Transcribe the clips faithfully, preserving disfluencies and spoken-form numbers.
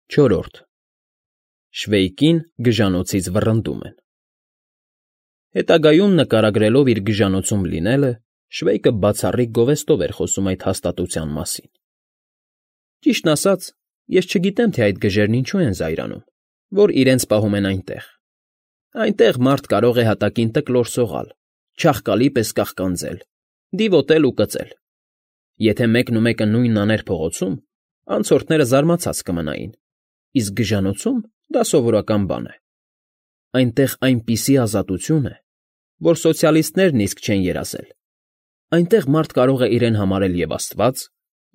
Չորրորդ Շվեյկին գժանոցից վռնդում են Հետագայում նկարագրելով իր գժանոցում լինելը, Շվեյկը բացառիկ գովեստով էր խոսում այդ հաստատության մասին։ Ճիշտն ասած, ես չգիտեմ, թե այդ գժերն ինչու են զայրանում, որ իրենց պահում են այնտեղ։ Այնտեղ մարդ կարող է հատակին տկլոր սողալ, չաղկալի պես կաղկանձել, դիվոտել ու կծել։ Եթե մեկն ու մեկը նույնն աներ փողոցում, անցորդները զարմացած կմնային, իսկ գժանոցում դա սովորական բան է։ Այնտեղ այնպիսի ազատություն է, որ սոցիալիստներն իսկ չեն երազել։ Այնտեղ մարդ կարող է իրեն համարել և աստված,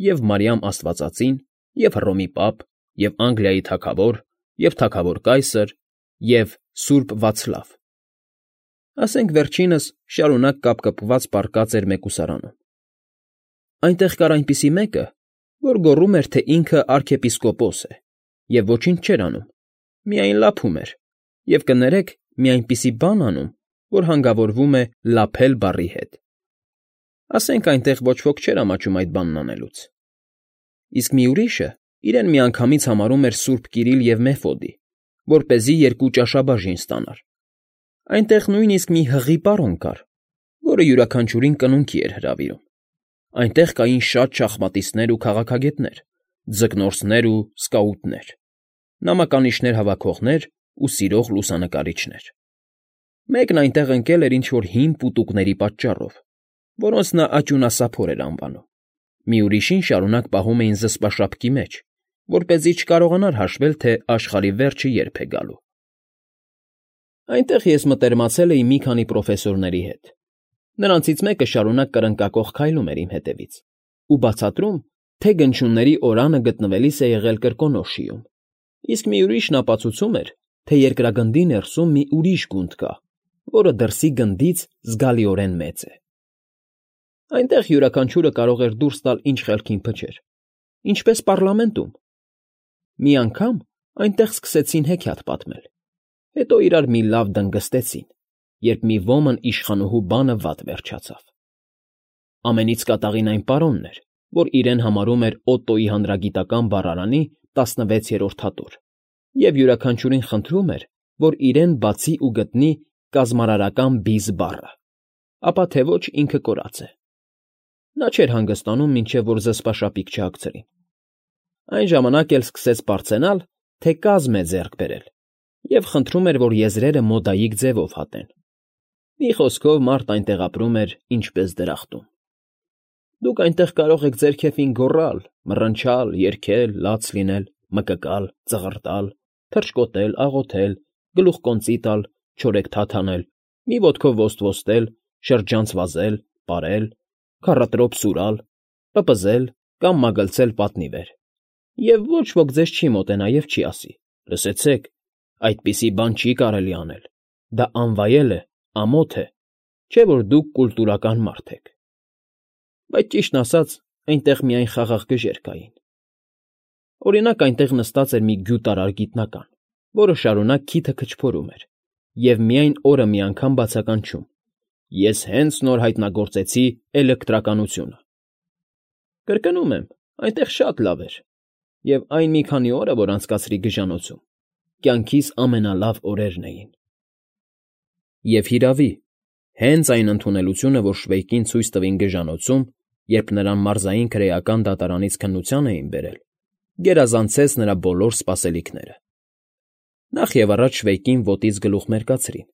և Մարիամ Աստվածածին, և Հռոմի պապ, և Անգլիայի թագավոր, և թագավոր կայսր, և սուրբ Վացլավ։ Ասենք վերջինս շարունակ կապկպված պառկած էր մեկուսարանում։ Այնտեղ կար այնպիսի մեկը, որ գոռում էր, թե ինքը արքեպիսկոպոս է, և ոչինչ չէր անում, միայն լափում էր, և կներեք, մի այնպիսի բան անում, որ հանգավորվում է լափել բառի հետ։ Ասենք այնտեղ ոչ ոք չէր ամաչում այդ բանն անելուց։ Իսկ մի ուրիշը իրեն միանգամից համարում էր սուրբ Կիրիլ և Մեֆոդի, որպեսզի երկու ճաշաբաժին ստանար։ Այնտեղ նույնիսկ մի հղի պարոն կար, որը յուրաքանչյուրին կնունքի էր հրավիրում։ Այնտեղ կային շատ շախմատիստներ ու քաղաքագետներ, ձկնորսներ ու սկաուտներ, նամականիշներ հավաքողներ ու սիրող լուսանկարիչներ։ Մեկն այնտեղ ընկել էր ինչ֊որ հին պուտուկների պատճառով, որոնց նա աճյունասափոր էր անվանում, մի ուրիշին շարունակ պահում էին զսպաշապկի մեջ, որպեսզի չկարողանար հաշվել, թե աշխարհի վերջը երբ է գալու։ Այնտեղ ես մտերմացել էի մի քանի պրոֆեսորների հետ։ Նրանցից մեկը շարունակ կրնկակոխ քայլում էր իմ հետևից ու բացատրում, թե գնչունների օրանը գտնվելիս է եղել Կրկոնոշիում, իսկ մի ուրիշն ապացուցում էր, թե երկրագնդի ներսում մի ուրիշ գունդ կա, որը դրսի գնդից զգալիորեն մեծ է։ Այնտեղ յուրաքանչյուրը կարող էր դուրս տալ ինչ խելքին փչեր, ինչպես պառլամենտում։ Մի անգամ այնտեղ սկսեցին հեքիաթ պատմել, հետո իրար մի լավ դնգստեցին, երբ մի ոմն իշխանուհու բանը վատ վերջացավ։ Ամենից կատաղին այն պարոնն էր, որ իրեն համարում էր Օտոյի հանրագիտական բառարանի տասնվեցերորդ հատոր և յուրաքանչյուրին խնդրում էր, որ իրեն բացի ու գտնի կազմարարական բիզ բառը, ապա թե ոչ ինքը կորած է։ Նա չէր հանգստանում, մինչև որ զսպաշապիկ չհագցրին։ Այն ժամանակ էլ սկսեց պարծենալ, թե կազմ է ձեռք բերել, և խնդրում էր, որ եզրերը մոդայիկ ձևով հատեն։ Մի խոսքով, մարդ այնտեղ ապրում էր ինչպես դրախտում։ Դուք այնտեղ կարող եք ձեր քեֆին գոռալ, մռնչալ, երգել, լաց լինել, մկկալ, ծղրտալ, թռչկոտել, աղոթել, գլուխկոնծի տալ, չորեքթաթ անել, մի ոտքով ոստվոստել, շրջանց վազել, պարել, քառատրոպ սուրալ, պպզել կամ մագլցել պատնի վեր, և ոչ ոք ձեզ չի մոտենա և չի ասի. «Լսեցեք, այդպիսի բան չի կարելի անել, դա անվայել է, ամոթ է, չէ՞ որ դուք կուլտուրական մարդ եք»։ Բայց ճիշտն ասած, այնտեղ միայն խաղաղ գժեր կային։ Օրինակ, այնտեղ նստած էր մի գյուտարար գիտնական, որը շարունակ քիթը քչփորում էր և միայն օրը մի անգամ բացականչում. «Ես հենց նոր հայտնագործեցի էլեկտրականությունը»։ Կրկնում եմ, այնտեղ շատ լավ էր, և այն մի քանի օրը, որ անցկացրի գժանոցում, կյանքիս ամենալավ օրերն էին։ Եվ հիրավի, հենց այն ընդունելությունը, որ Շվեյկին ցույց տվին գժանոցում, երբ նրան մարզային քրեական դատարանից քննության էին բերել, գերազանցեց նրա բոլոր սպասելիքները։ Նախ և առաջ Շվեյկին ոտից գլուխ մերկացրին,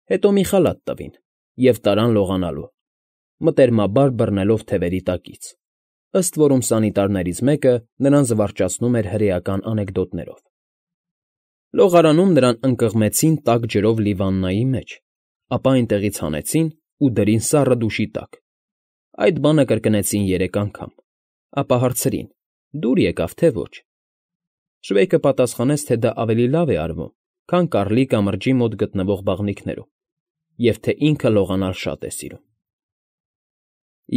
հետո մի խալաթ տվին և տարան լողանալու, մտերմաբար բռնելով թևերի տակից, ըստ որում սանիտարներից մեկը նրան զվարճացնում էր հրեական անեկդոտներով։ Լողարանում նրան ընկղմեցին տաք ջրով լի վաննայի մեջ, ապա այնտեղից հանեցին ու դրին սառը դուշի տակ։ Այդ բանը կրկնեցին երեք անգամ, ապա հարցրին. «Դուր եկավ, թե ոչ»։ Շվեյկը պատասխանեց, թե դա ավելի լավ է արվում, քան կառլի կամրջի մոտ գտնվող բաղնիքներում, և թե ինքը լողանալ շատ է սիրում։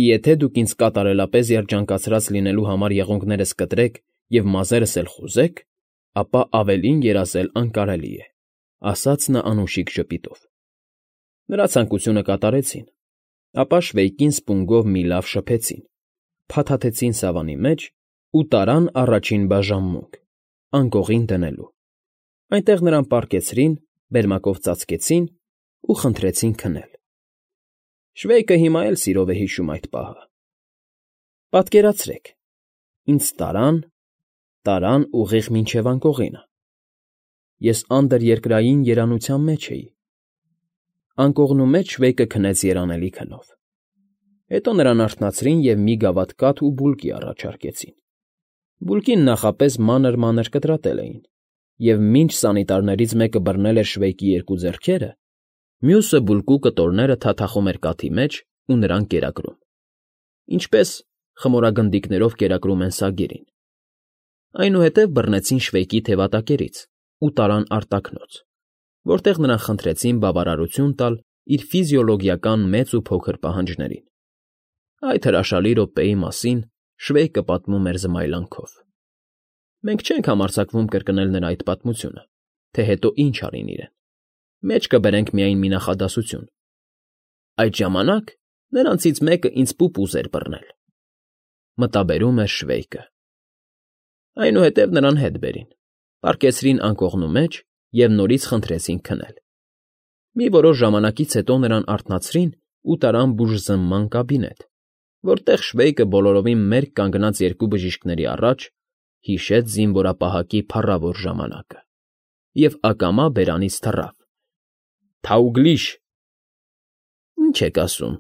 Եթե դուք ինձ կատարելապես երջանկացրած լինելու համար եղունգներս կտրեք և մազերս էլ խուզեք, ապա ավելին երազել անկարելի է, ֊ ասաց նա անուշիկ ժպիտով։ Նրա ցանկությունը կատարեցին, ապա Շվեյկին սպունգով մի լավ շփեցին, փաթաթեցին սավանի մեջ ու տարան առաջին բաժանմունք, անկողին դնելու։ Այնտեղ նրան պառկեցրին, բերմակով ծածկեցին ու խնդրեցին քնել։ Շվեյկը հիմա էլ սիրով է հիշում այդ պահը։ Պատկերացրեք, ինձ տարան, տարան ուղիղ մինչև անկողինը։ Ես անդրերկրային երանության մեջ էի։ Անկողնու մեջ Շվեյկը քնեց երանելի քնով։ Հետո նրան արթնացրին և մի գավաթ կաթ ու բուլկի առաջարկեցին։ Բուլկին նախապես մանր֊մանր կտրատել էին, և մինչ սանիտարներից մեկը բռնել էր Շվեյկի երկու ձեռքերը, մյուսը բուլկու կտորները թաթախում էր կաթի մեջ ու նրան կերակրում, ինչպես խմորագնդիկներով կերակրում են սագերին։ Այնուհետև բռնեցին Շվեյկի թևատակերից ու տարան արտաքնոց, որտեղ նրան խնդրեցին բավարարություն տալ իր ֆիզիոլոգիական մեծ ու փոքր պահանջներին։ Այդ հրաշալի րոպեի մասին Շվեյկը պատմում էր զմայլանքով։ Մենք չենք համարձակվում կրկնել նրա այդ պատմությունը, թե հետո ինչ արին իրեն։ Մեջ կբերենք միայն մի նախադասություն. այդ ժամանակ նրանցից մեկը ինձ պուպուզ էր բռնել։ Մտաբերում էր Շվեյկը։ Այնուհետև նրան հետ բերին, պառկեցրին անկողնու մեջ և նորից խնդրեցին քնել։ Մի որոշ ժամանակից հետո նրան արթնացրին ու տարան բուժզնման կաբինետ, որտեղ Շվեյկը բոլորովին մերկ կանգնած երկու բժիշկների առաջ հիշեց զինվորապահակի փառավոր ժամանակը և ակամա բերանից թռավ. «Թաուգլիշ»։ «Ի՞նչ եք ասում,֊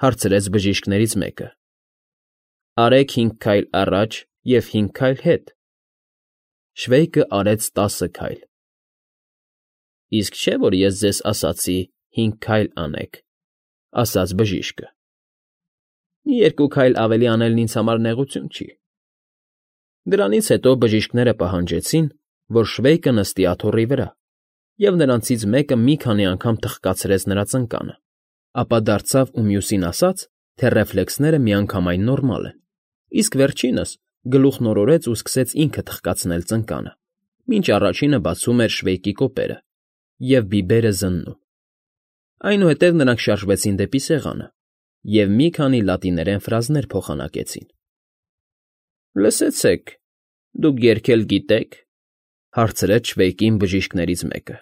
հարցրեց բժիշկներից մեկը։ Արեք հինգ քայլ առաջ և հինգ քայլ հետ։ Շվեյկը արեց տասը քայլ։ Իսկ չէ՞ որ ես ձեզ ասացի հինգ քայլ անեք,֊ ասաց բժիշկը։ Մի երկու քայլ ավելի անելն ինձ համար նեղություն չի։ Դրանից հետո բժիշկները պահանջեցին, որ Շվեյկը նստի աթոռի վրա, և նրանցից մեկը մի քանի անգամ թխկացրեց նրա ծնկանը, ապա դարձավ ու մյուսին ասաց, թե ռեֆլեքսները միանգամայն նորմալ են, իսկ վերջինս գլուխն օրորեց ու սկսեց ինքը թխկացնել ծնկանը, մինչ առաջինը բացում էր Շվեյկի կոպերը և բիբերը զննում։ Այնուհետև նրանք շարժվեցին դեպի սեղանը և մի քանի լատիներեն ֆրազներ փոխանակեցին։ «Լսեցեք, դուք երգել գիտե՞ք,֊ հարցրեց Շվեյկին բժիշկներից մեկը։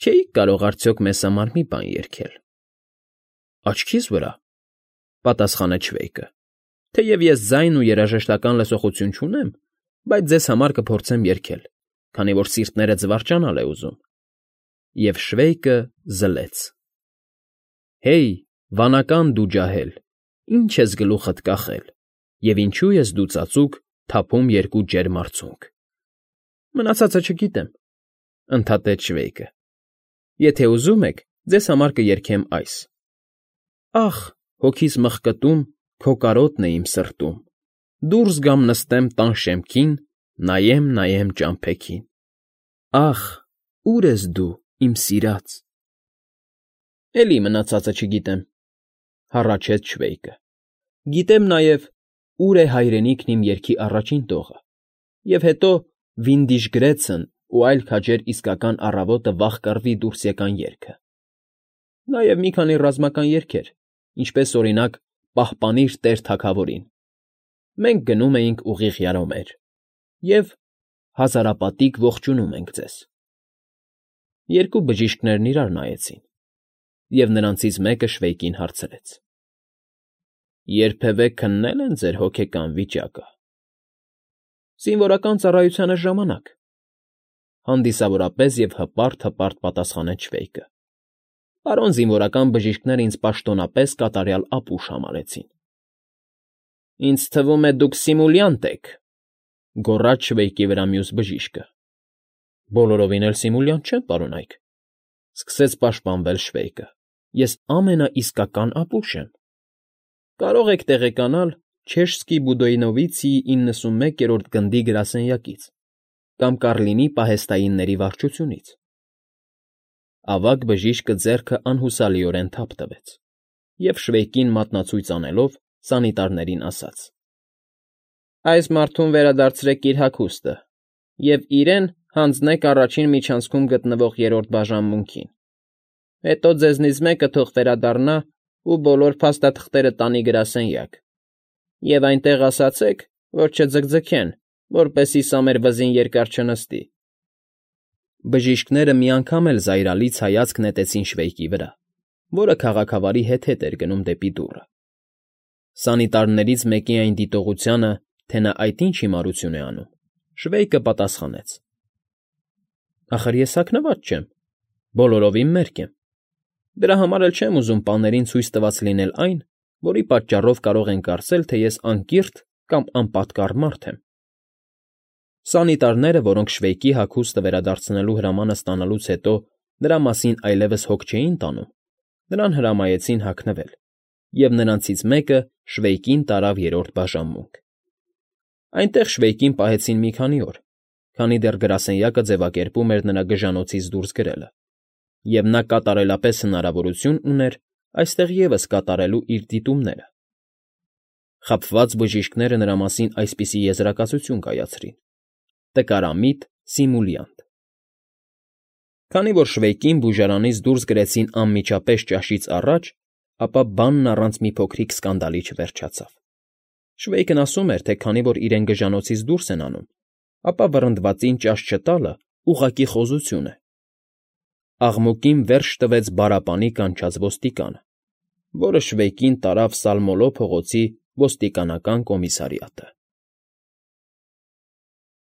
Չէի՞ք կարող արդյոք մեզ համար մի բան երգել։ Աչքիս վրա,֊ պատասխանեց Շվեյկը, թեև ես ձայն ու երաժշտական լսողություն չունեմ, բայց ձեզ համար կփորձեմ երգել, քանի որ սիրտները զվարճանալ է ուզում։ Եվ Շվեյկը զլեց. Հեյ, վանական դու ջահել, ի՞նչ ես գլուխդ կախել, և ինչու ես դու ծածուկ թափում երկու ջերմ արցունք։ Մնացածը չգիտեմ,֊ ընդհատեց Շվեյկը։ Եթե ուզում եք, ձեզ համար կերգեմ այս. Ախ, հոգիս մղկտում, քո կարոտն է իմ սրտում, դուրս գամ նստեմ տան շեմքին, նայեմ, նայեմ ճամփեքին։ Ախ, ո՞ւր ես դու, իմ սիրած։ Էլի մնացածը չգիտեմ,֊ հառաչեց Շվեյկը։ Գիտեմ նաև, ուր է հայրենիքն իմ երգի առաջին տողը, և հետո Վինդիժգրեցն ու այլ քաջեր իսկական առավոտը վաղ կռվի դուրս եկան երգը։ Նաև մի քանի ռազմական երգեր, ինչպես, օրինակ, Պահպանիր Տեր Թագավորին։ Մենք գնում էինք ուղիղ Յարոմեր և Հազարապատիկ ողջունում ենք ձեզ։ Երկու բժիշկներն իրար նայեցին, և նրանցից մեկը Շվեյկին հարցրեց. Երբևէ քննե՞լ են ձեր հոգեկան վիճակը։ Զինվորական ծառայությանը ժամանակ,֊ հանդիսավորապես և հպարտ֊հպարտ պատասխանեց Շվեյկը։ Պարոն զինվորական բժիշկները ինձ պաշտոնապես կատարյալ ապուշ համարեցին։ Ինձ թվում է, դուք սիմուլյանտ եք,֊ գոռաց Շվեյկի վրա մյուս բժիշկը։ Բոլորովին էլ սիմուլյանտ չեմ, պարոնայք,֊ սկսեց պաշտպանվել Շվեյկը։ Ես ամենաիսկական ապուշ եմ։ Կարող եք տեղեկանալ Չեշսկի Բուդոյնովիցիի իննսունմեկերորդ գնդի գրասենյակից կամ Կառլինի պահեստայինների վարչությունից։ Ավագ բժիշկը ձեռքը անհուսալիորեն թափ տվեց և Շվեյկին մատնացույց անելով սանիտարներին ասաց. Այս մարդուն վերադարձրեք իր հագուստը և իրեն հանձնեք առաջին միջանցքում գտնվող երրորդ բաժանմունքին։ Հետո ձեզնից մեկը թող վերադառնա ու բոլոր փաստաթղթերը տանի գրասենյակ և այնտեղ ասացեք, որ չձգձգեն որպեսզի սա մեր վզին երկար չնստի։ Բժիշկները մի անգամ էլ զայրալից հայացք նետեցին Շվեյկի վրա, որը քաղաքավարի հետ֊հետ էր գնում դեպի դուռը։ Սանիտարներից մեկի այն դիտողությանը, թե նա այդ ինչ հիմարություն է անում, Շվեյկը պատասխանեց. ֊ Ախր ես հագնված չեմ, բոլորովին մերկ եմ, դրա համար էլ չեմ ուզում պաներին ցույց տված լինել այն, որի պատճառով կարող են կարծել, թե ես անկիրթ կամ անպատկառ մարդ եմ։ Սանիտարները, որոնք Շվեյկի հագուստը վերադարձնելու հրամանը ստանալուց հետո նրա մասին այլևս հոգ չէին տանում, նրան հրամայեցին հագնվել, և նրանցից մեկը Շվեյկին տարավ երրորդ բաժանմունք։ Այնտեղ Շվեյկին պահեցին մի քանի օր, քանի դեռ գրասենյակը ձևակերպում էր նրա գժանոցից դուրս գրելը, և նա կատարելապես հնարավորություն ուներ այստեղ ևս կատարելու իր դիտումները։ Խաբված բժիշկները նրա մասին այսպիսի եզրակացություն կայացրին. «Տկարամիտ սիմուլյանտ»։ Քանի որ Շվեյկին բուժարանից դուրս գրեցին անմիջապես ճաշից առաջ, ապա բանն առանց մի փոքրիկ սկանդալի չվերջացավ։ Շվեյկն ասում էր, թե քանի որ իրեն գժանոցից դուրս են անում, ապա վռնդվածին ճաշ չտալը ուղղակի խոզություն է։ Աղմուկին վերջ տվեց բարապանի կանչած ոստիկանը, որը Շվեյկին տարավ Սալմոլո փողոցի ոստիկանական կոմիսարիատը։